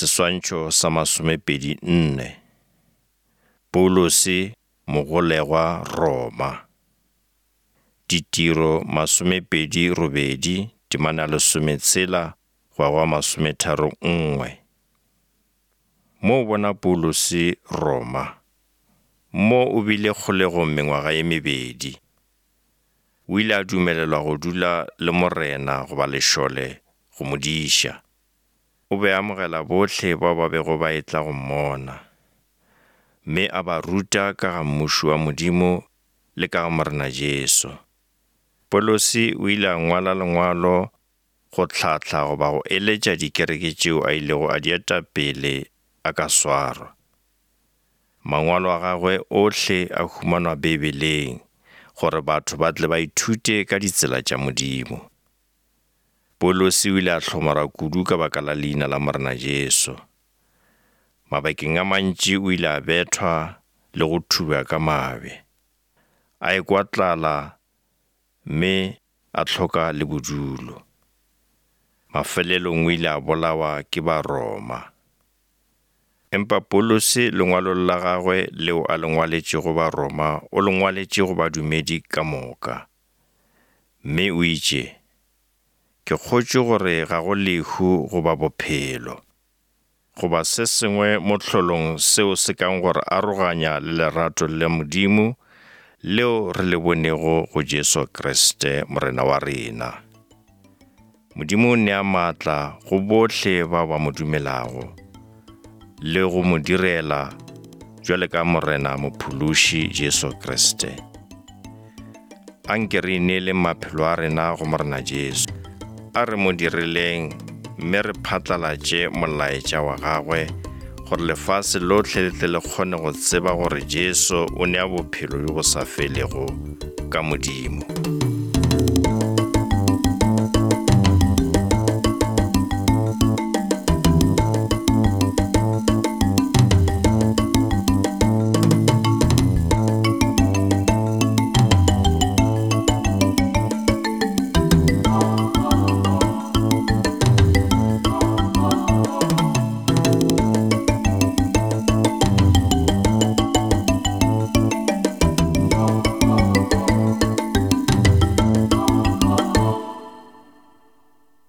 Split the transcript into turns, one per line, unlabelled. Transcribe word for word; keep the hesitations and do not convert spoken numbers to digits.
Seswantšho sa masomepedi nne. Paulose mogolegwa Roma. Ditiro masomepedi robedi, temana lesometshela go ya go masometharo nngwe. Mo o bona Paulose Roma. Mo o bile kgolegong mengwaga ye mebedi. O ile a dumelelwa go dula le morena goba lešole go mo diša. O be a amogela bohle bao ba bego ba etla go mmona, mme a ba ruta ka ga mmušo wa Modimo le ka ga Morena Jesu. Paulose o ile a ngwala lengwalo go hlahla goba go eletša dikereke tšeo a ilego a di eta pele a ka swarwa. Mangwalo a gagwe ohle a humanwa Beibeleng gore batho ba tle ba ithute ka ditsela tša Modimo. Paulose o ile a hlomara kudu ka baka la leina la Morena Jesu. Mabakeng a mantši o ile a bethwa le go thubja ka mabje. A ekwa tlala mme a hloka le bodulo. Mafelelong o ile a bolawa ke Baroma. Empa Paulose lengwalong la gagwe leo a le ngwaletšego Baroma o le ngwaletše go badumedi ka moka. Mme o itše, ke kgotše gore ga go lehu goba bophelo, goba se sengwe mo hlolong seo se kang gore aroganya le lerato la Modimo leo re le bonego go Jesu Kriste Morena wa rena. Modimo o nea maatla go bohle bao ba mo dumelago le go mo direla jwale ka Morena Mophološi Jesu Kriste. Anke re ineeleng maphelo a rena go Morena Jesu. A re mo direleng mme re phatlalatše molaetša wa gagwe gore lefase lohle le tle le kgone go tseba gore Jesu o nea bophelo bjo bo sa felego ka Modimo.